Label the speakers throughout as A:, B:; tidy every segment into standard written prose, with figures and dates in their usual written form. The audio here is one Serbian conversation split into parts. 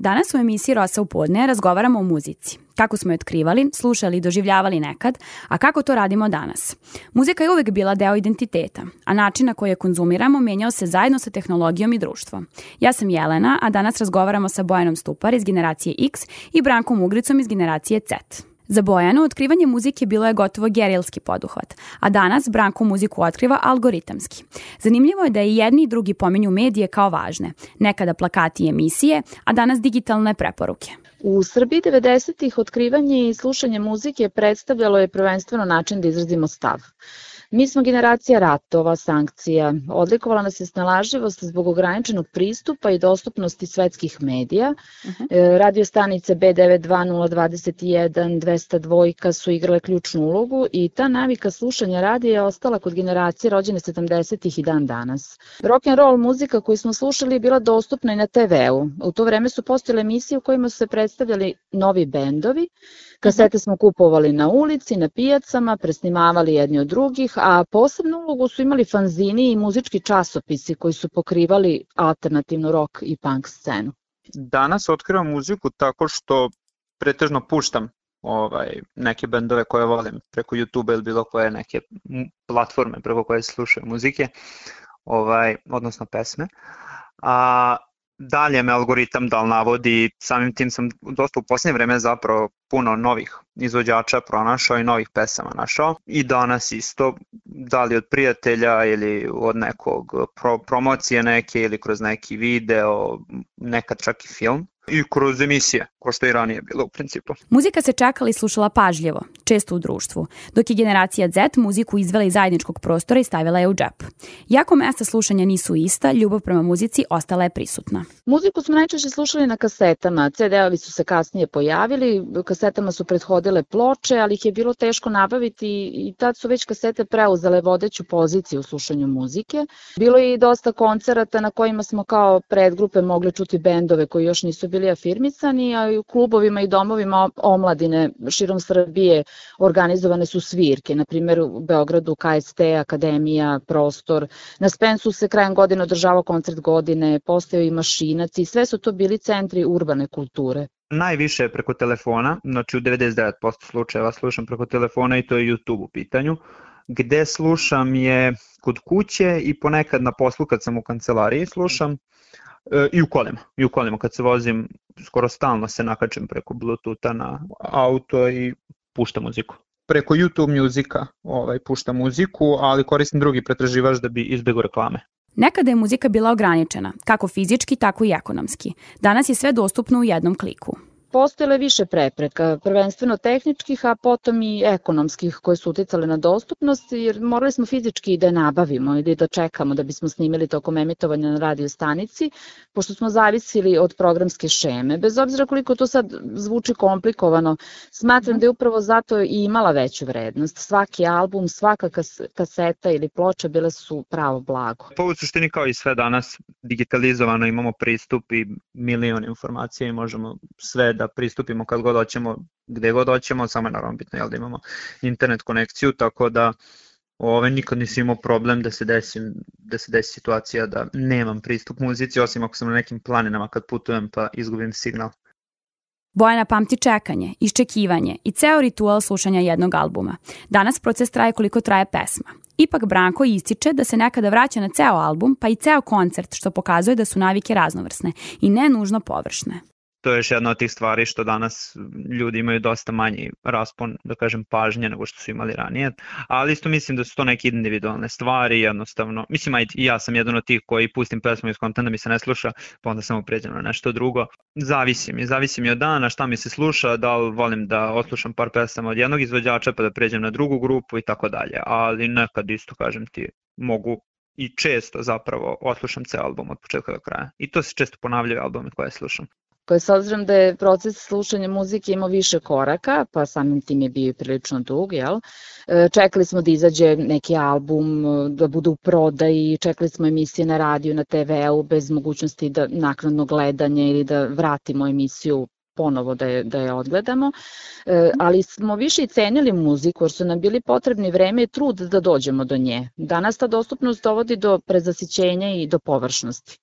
A: Danas u emisiji Rosa u podne razgovaramo o muzici. Kako smo je otkrivali, slušali i doživljavali nekad, a kako to radimo danas. Muzika je uvek bila deo identiteta, a način na koji je konzumiramo menjao se zajedno sa tehnologijom i društvom. Ja sam Jelena, a danas razgovaramo sa Bojanom Stupar iz generacije X i Brankom Ugricom iz generacije Z. Za Bojanu otkrivanje muzike bilo je gotovo gerilski poduhvat, a danas Branko muziku otkriva algoritamski. Zanimljivo je da i jedni i drugi pominju medije kao važne, nekada plakati i emisije, a danas digitalne preporuke.
B: U Srbiji 90-ih otkrivanje i slušanje muzike predstavljalo je prvenstveno način da izrazimo stav. Mi smo generacija ratova, sankcija. Odlikovala nas je snalažljivost zbog ograničenog pristupa i dostupnosti svetskih medija. Radio stanice B92, 021, 202 su igrale ključnu ulogu i ta navika slušanja radija je ostala kod generacije rođene 70-ih i dan danas. Rock and roll muzika koju smo slušali je bila dostupna i na TV-u. U to vreme su postojale emisije u kojima su se predstavljali novi bendovi. Kasete smo kupovali na ulici, na pijacama, presnimavali jedni od drugih, a posebnu ulogu su imali fanzini i muzički časopisi koji su pokrivali alternativnu rock i punk scenu.
C: Danas otkrivam muziku tako što pretežno puštam neke bendove koje volim preko YouTube ili bilo koje neke platforme preko koje se slušaju muzike, odnosno pesme. A dalje me algoritam navodi, samim tim sam dosta u posljednje vreme zapravo puno novih izvođača pronašao i novih pesama našao. I danas isto, da li od prijatelja ili od nekog promocije neke ili kroz neki video, nekad čak i film. I kroz emisije, ko što i ranije bilo u principu.
A: Muzika se čekala i slušala pažljivo, često u društvu, dok je generacija Z muziku izvela iz zajedničkog prostora i stavila je u džep. Iako mesta slušanja nisu ista, ljubav prema muzici ostala je prisutna.
B: Muziku smo najčešće slušali na kasetama, CD-ovi su se kasnije pojavili, kasetama su prethodile ploče, ali ih je bilo teško nabaviti i tad su već kasete preuzele vodeću poziciju u slušanju muzike. Bilo je i dosta koncerata na kojima smo kao predgrupe mogli čuti bendove koji još nisu bili afirmisani, a i u klubovima i domovima omladine širom Srbije organizovane su svirke, na primjer u Beogradu KST, Akademija, Prostor. Na Spensu se krajem godine održavao koncert godine, postojao i Mašinac i sve su to bili centri urbane kulture.
C: Najviše je preko telefona, znači u 99% slučajeva slušam preko telefona i to je YouTube u pitanju. Gde slušam je kod kuće i ponekad na poslu kad sam u kancelariji slušam. I u kolima kad se vozim, skoro stalno se nakačem preko Bluetootha na auto i puštam muziku. Preko YouTube muzika puštam muziku, ali koristim drugi pretraživač da bi izbjegao reklame.
A: Nekada je muzika bila ograničena, kako fizički, tako i ekonomski. Danas je sve dostupno u jednom kliku.
B: Postojale više prepreka, prvenstveno tehničkih, a potom i ekonomskih koje su uticale na dostupnost, jer morali smo fizički da je nabavimo ili da čekamo da bismo snimili tokom emitovanja na radio stanici, pošto smo zavisili od programske šeme. Bez obzira koliko to sad zvuči komplikovano, smatram da je upravo zato i imala veću vrednost. Svaki album, svaka kaseta ili ploča bile su pravo blago.
C: Po u suštini kao i sve danas digitalizovano, imamo pristup i milion informacija i možemo sve da pristupimo kad god hoćemo, gde god hoćemo, samo je naravno bitno da imamo internet konekciju, tako da nikad nisam imao problem da se desi situacija da nemam pristup muzici, osim ako sam na nekim planinama kad putujem pa izgubim signal.
A: Bojana pamti čekanje, iščekivanje i ceo ritual slušanja jednog albuma. Danas proces traje koliko traje pesma. Ipak Branko ističe da se nekada vraća na ceo album, pa i ceo koncert, što pokazuje da su navike raznovrsne i ne nužno površne.
C: To je još jedna od tih stvari što danas ljudi imaju dosta manji raspon, da kažem, pažnje nego što su imali ranije, ali isto mislim da su to neke individualne stvari, jednostavno, mislim i ja sam jedan od tih koji pustim pesmu iz kontenta da mi se ne sluša, pa onda samo pređem na nešto drugo. Zavisi mi od dana, šta mi se sluša, da li volim da odslušam par pesama od jednog izvođača pa da pređem na drugu grupu i tako dalje, ali nekad isto, kažem ti, mogu i često zapravo odslušam ceo album od početka do kraja i to se često ponavljaju albumi koje slušam.
B: Koje s obzirom da je proces slušanja muzike imao više koraka, pa samim tim je bio i prilično dug, čekali smo da izađe neki album, da bude u prodaji, čekali smo emisije na radiju, na TV-u, bez mogućnosti da naknadno gledanje ili da vratimo emisiju ponovo da je odgledamo, ali smo više i cenili muziku jer su nam bili potrebni vreme i trud da dođemo do nje. Danas ta dostupnost dovodi do prezasićenja i do površnosti.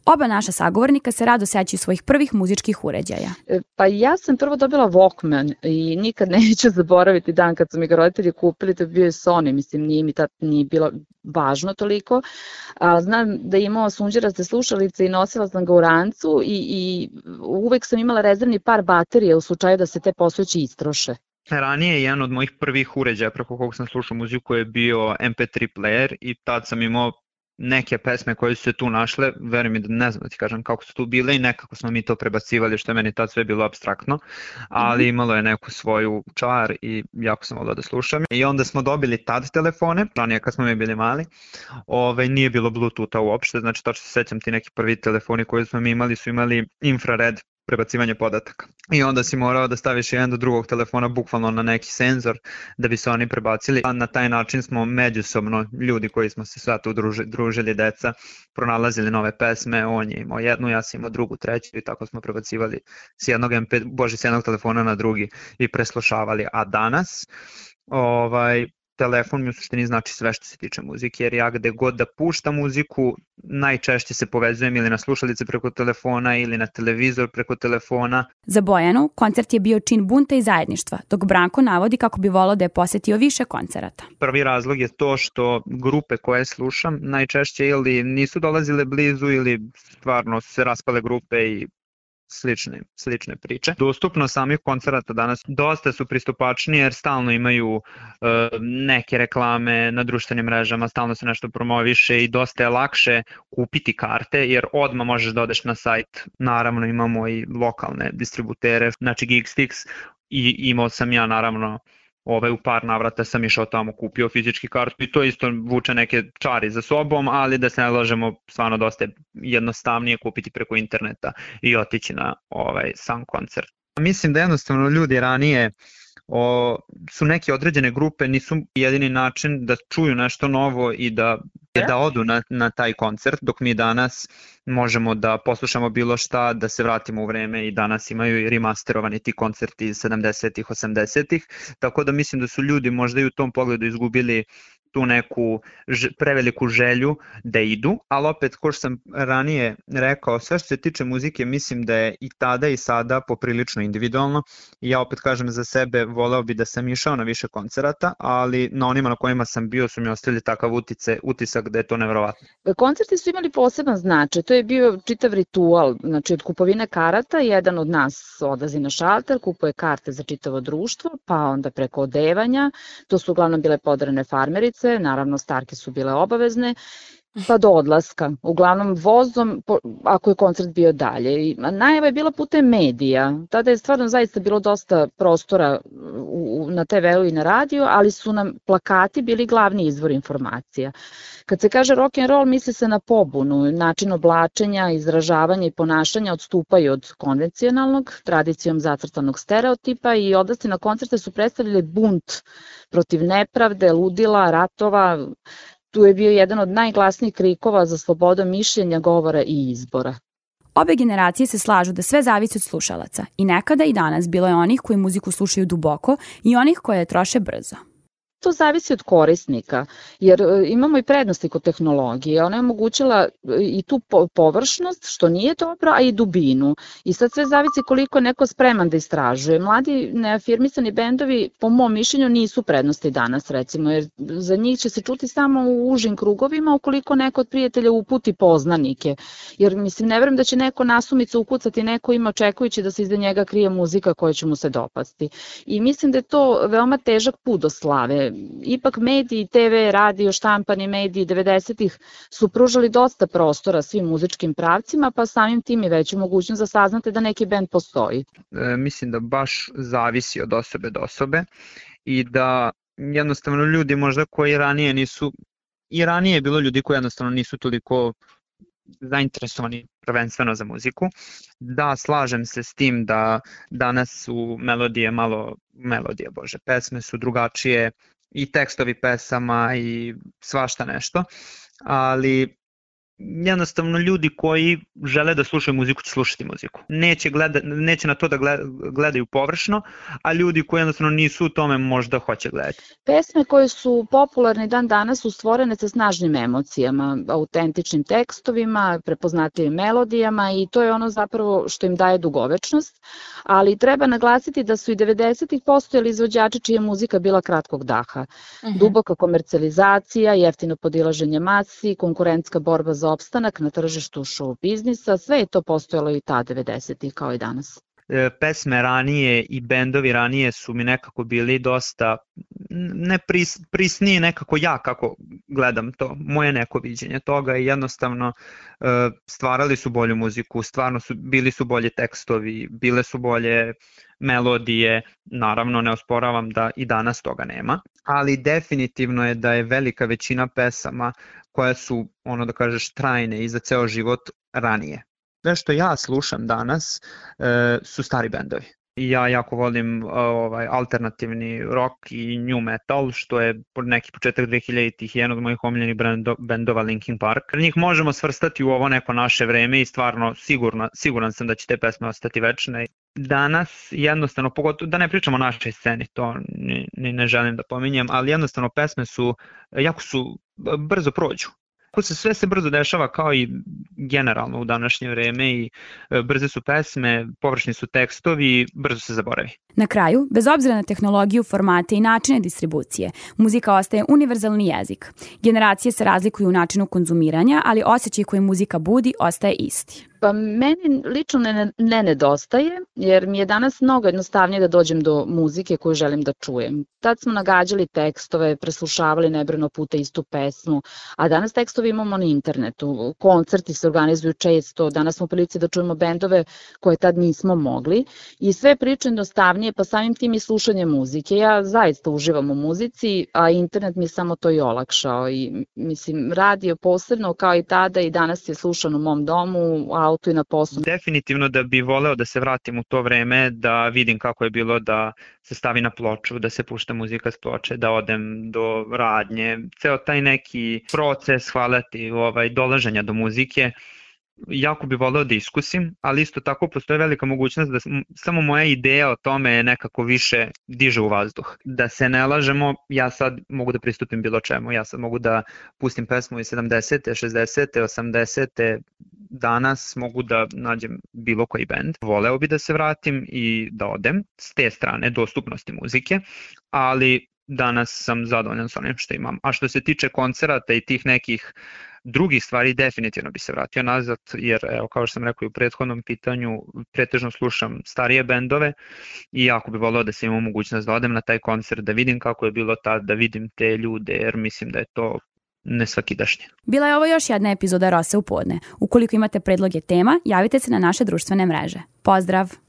A: Oba naša sagovornika se rado sećaju svojih prvih muzičkih uređaja.
B: Pa ja sam prvo dobila Walkman i nikad neću zaboraviti dan kad su mi ga roditelji kupili, to je bio Sony, mislim nije mi tad nije bilo važno toliko, a znam da je imao sunđeraste slušalice i nosila sam ga u rancu i uvek sam imala rezervni par baterije u slučaju da se te postojeći istroše.
C: Ranije jedan od mojih prvih uređaja preko kog sam slušao muziku je bio MP3 player i tad sam imao neke pesme koje su se tu našle, verujem mi da ne znam da ti kažem kako su tu bile i nekako smo mi to prebacivali što je meni tad sve bilo apstraktno, ali imalo je neku svoju čar i jako sam volao da slušam. I onda smo dobili tad telefone, ranije kad smo mi bili mali, nije bilo Bluetootha uopšte, znači tačno se sećam ti neki prvi telefoni koji smo mi imali su imali infrared prebacivanje podataka. I onda si morao da staviš jedan do drugog telefona bukvalno na neki senzor da bi se oni prebacili. A na taj način smo međusobno, ljudi koji smo se sve tu družili, deca, pronalazili nove pesme, on je imao jednu, ja sam imao drugu, treću i tako smo prebacivali s jednog telefona na drugi i preslušavali. A danas, telefon mi u suštini znači sve što se tiče muzike, jer ja gde god da puštam muziku, najčešće se povezujem ili na slušalice preko telefona ili na televizor preko telefona.
A: Za Bojanu, koncert je bio čin bunta i zajedništva, dok Branko navodi kako bi volao da je posetio više koncerata.
C: Prvi razlog je to što grupe koje slušam najčešće ili nisu dolazile blizu ili stvarno se raspale grupe i slične priče. Dostupnost samih koncerata danas dosta su pristupačnije jer stalno imaju neke reklame na društvenim mrežama, stalno se nešto promoviše i dosta je lakše kupiti karte jer odmah možeš da odeš na sajt. Naravno imamo i lokalne distributere, znači Geekstix i imao sam ja naravno u par navrata sam išao tamo, kupio fizički kartu i to isto vuče neke čari za sobom, ali da se ne lažemo, stvarno dosta je jednostavnije kupiti preko interneta i otići na sam koncert. Mislim da jednostavno ljudi ranije su neke određene grupe, nisu jedini način da čuju nešto novo i da odu na taj koncert, dok mi danas možemo da poslušamo bilo šta, da se vratimo u vreme i danas imaju i remasterovani ti koncerti iz 70-ih, 80-ih, tako da mislim da su ljudi možda i u tom pogledu izgubili tu neku preveliku želju da idu, ali opet, ko što sam ranije rekao, sve što se tiče muzike, mislim da je i tada i sada poprilično individualno i ja opet kažem za sebe, voleo bi da sam išao na više koncerata, ali na onima na kojima sam bio su mi ostavili takav utisak da je to neverovatno.
B: Koncerti su imali poseban značaj, to je bio čitav ritual, znači od kupovine karata, jedan od nas odlazi na šalter, kupuje karte za čitavo društvo, pa onda preko odevanja, to su uglavnom bile podarene farmerice, naravno starke su bile obavezne, pa do odlaska, uglavnom vozom, ako je koncert bio dalje. Najava je bila putem medija, tada je stvarno zaista bilo dosta prostora na TV-u i na radiju, ali su nam plakati bili glavni izvor informacija. Kad se kaže rock and roll, misli se na pobunu, način oblačenja, izražavanja i ponašanja odstupaju od konvencionalnog, tradicijom zacrtanog stereotipa i odlasci na koncerte su predstavljali bunt protiv nepravde, ludila, ratova. Tu je bio jedan od najglasnijih krikova za slobodom mišljenja, govora i izbora.
A: Obe generacije se slažu da sve zavisi od slušalaca i nekada i danas bilo je onih koji muziku slušaju duboko i onih koje je troše brzo.
B: To zavisi od korisnika, jer imamo i prednosti kod tehnologije. Ona je omogućila i tu površnost, što nije dobro, a i dubinu. I sad sve zavisi koliko je neko spreman da istražuje. Mladi neafirmisani bendovi, po mom mišljenju, nisu prednosti danas, recimo, jer za njih će se čuti samo u užim krugovima ukoliko neko od prijatelja uputi poznanike. Jer, mislim, ne verujem da će neko nasumicu ukucati neko ima očekujući da se iza njega krije muzika koja će mu se dopasti. I mislim da je to veoma težak put do slave. Ipak mediji, TV, radio, štampani mediji 90-ih su pružali dosta prostora svim muzičkim pravcima, pa samim tim i veću mogućnost da saznate da neki bend postoji.
C: Mislim da baš zavisi od osobe do osobe i da jednostavno ljudi možda koji ranije nisu, i ranije je bilo ljudi koji jednostavno nisu toliko zainteresovani prvenstveno za muziku. Da, slažem se s tim da danas su pesme su drugačije i tekstovi pesama i svašta nešto, ali jednostavno ljudi koji žele da slušaju muziku će slušati muziku. Neće na to da gledaju površno, a ljudi koji jednostavno nisu u tome možda hoće gledati.
B: Pesme koje su popularne dan danas su stvorene sa snažnim emocijama, autentičnim tekstovima, prepoznatljivim melodijama i to je ono zapravo što im daje dugovečnost, ali treba naglasiti da su i 90-ih postojali izvođači čija muzika bila kratkog daha. Duboka komercijalizacija, jeftino podilaženje masi, konkurentska borba za opstanak na tržištu show biznisa, sve je to postojalo i ta 90-ih kao i danas.
C: Pesme ranije i bendovi ranije su mi nekako bili dosta prisniji nekako ja kako gledam to, moje neko viđenje toga i jednostavno stvarali su bolju muziku, stvarno bili su bolji tekstovi, bile su bolje melodije, naravno ne osporavam da i danas toga nema, ali definitivno je da je velika većina pesama koje su, ono da kažeš, trajne i za ceo život ranije. Sve što ja slušam danas su stari bendovi. Ja jako volim alternativni rock i new metal, što je neki početak 2000-ih jedan od mojih omiljenih bendova Linkin Park. Njih možemo svrstati u ovo neko naše vreme i stvarno siguran sam da će te pesme ostati večne. Danas jednostavno, pogotovo da ne pričamo o našoj sceni, to ne želim da pominjem, ali jednostavno pesme jako su brzo prođu. Sve se brzo dešava kao i generalno u današnje vreme i brze su pesme, površni su tekstovi, brzo se zaboravi.
A: Na kraju, bez obzira na tehnologiju, formate i načine distribucije, muzika ostaje univerzalni jezik. Generacije se razlikuju u načinu konzumiranja, ali osjećaj koji muzika budi ostaje isti.
B: Pa meni lično ne nedostaje, jer mi je danas mnogo jednostavnije da dođem do muzike koju želim da čujem. Tad smo nagađali tekstove, preslušavali nebrojeno puta istu pesmu, a danas tekstove imamo na internetu. Koncerti se organizuju često, danas smo u prilici da čujemo bendove koje tad nismo mogli i sve priče jednostavnije, pa samim tim i slušanje muzike. Ja zaista uživam u muzici, a internet mi je samo to i olakšao i mislim radio posebno kao i tada i danas je slušan u mom domu, auto i na poslu.
C: Definitivno da bi voleo da se vratim u to vreme, da vidim kako je bilo da se stavi na ploču, da se pušta muzika s ploče, da odem do radnje, ceo taj neki proces, dolaženja do muzike. Jako bi voleo da iskusim, ali isto tako postoje velika mogućnost da samo moja ideja o tome nekako više diže u vazduh. Da se ne lažemo, ja sad mogu da pristupim bilo čemu, ja sad mogu da pustim pesmu iz 70. 60. 80. Danas mogu da nađem bilo koji bend. Voleo bi da se vratim i da odem s te strane dostupnosti muzike, ali danas sam zadovoljan s onim što imam. A što se tiče koncerata i tih nekih drugih stvari, definitivno bi se vratio nazad, jer evo, kao što sam rekao i u prethodnom pitanju, pretežno slušam starije bendove i jako bi voleo da se imam mogućnost da odem na taj koncert, da vidim kako je bilo tad, da vidim te ljude, jer mislim da je to nesvakidašnje.
A: Bila je ovo još jedna epizoda Rose u podne. Ukoliko imate predloge tema, javite se na naše društvene mreže. Pozdrav!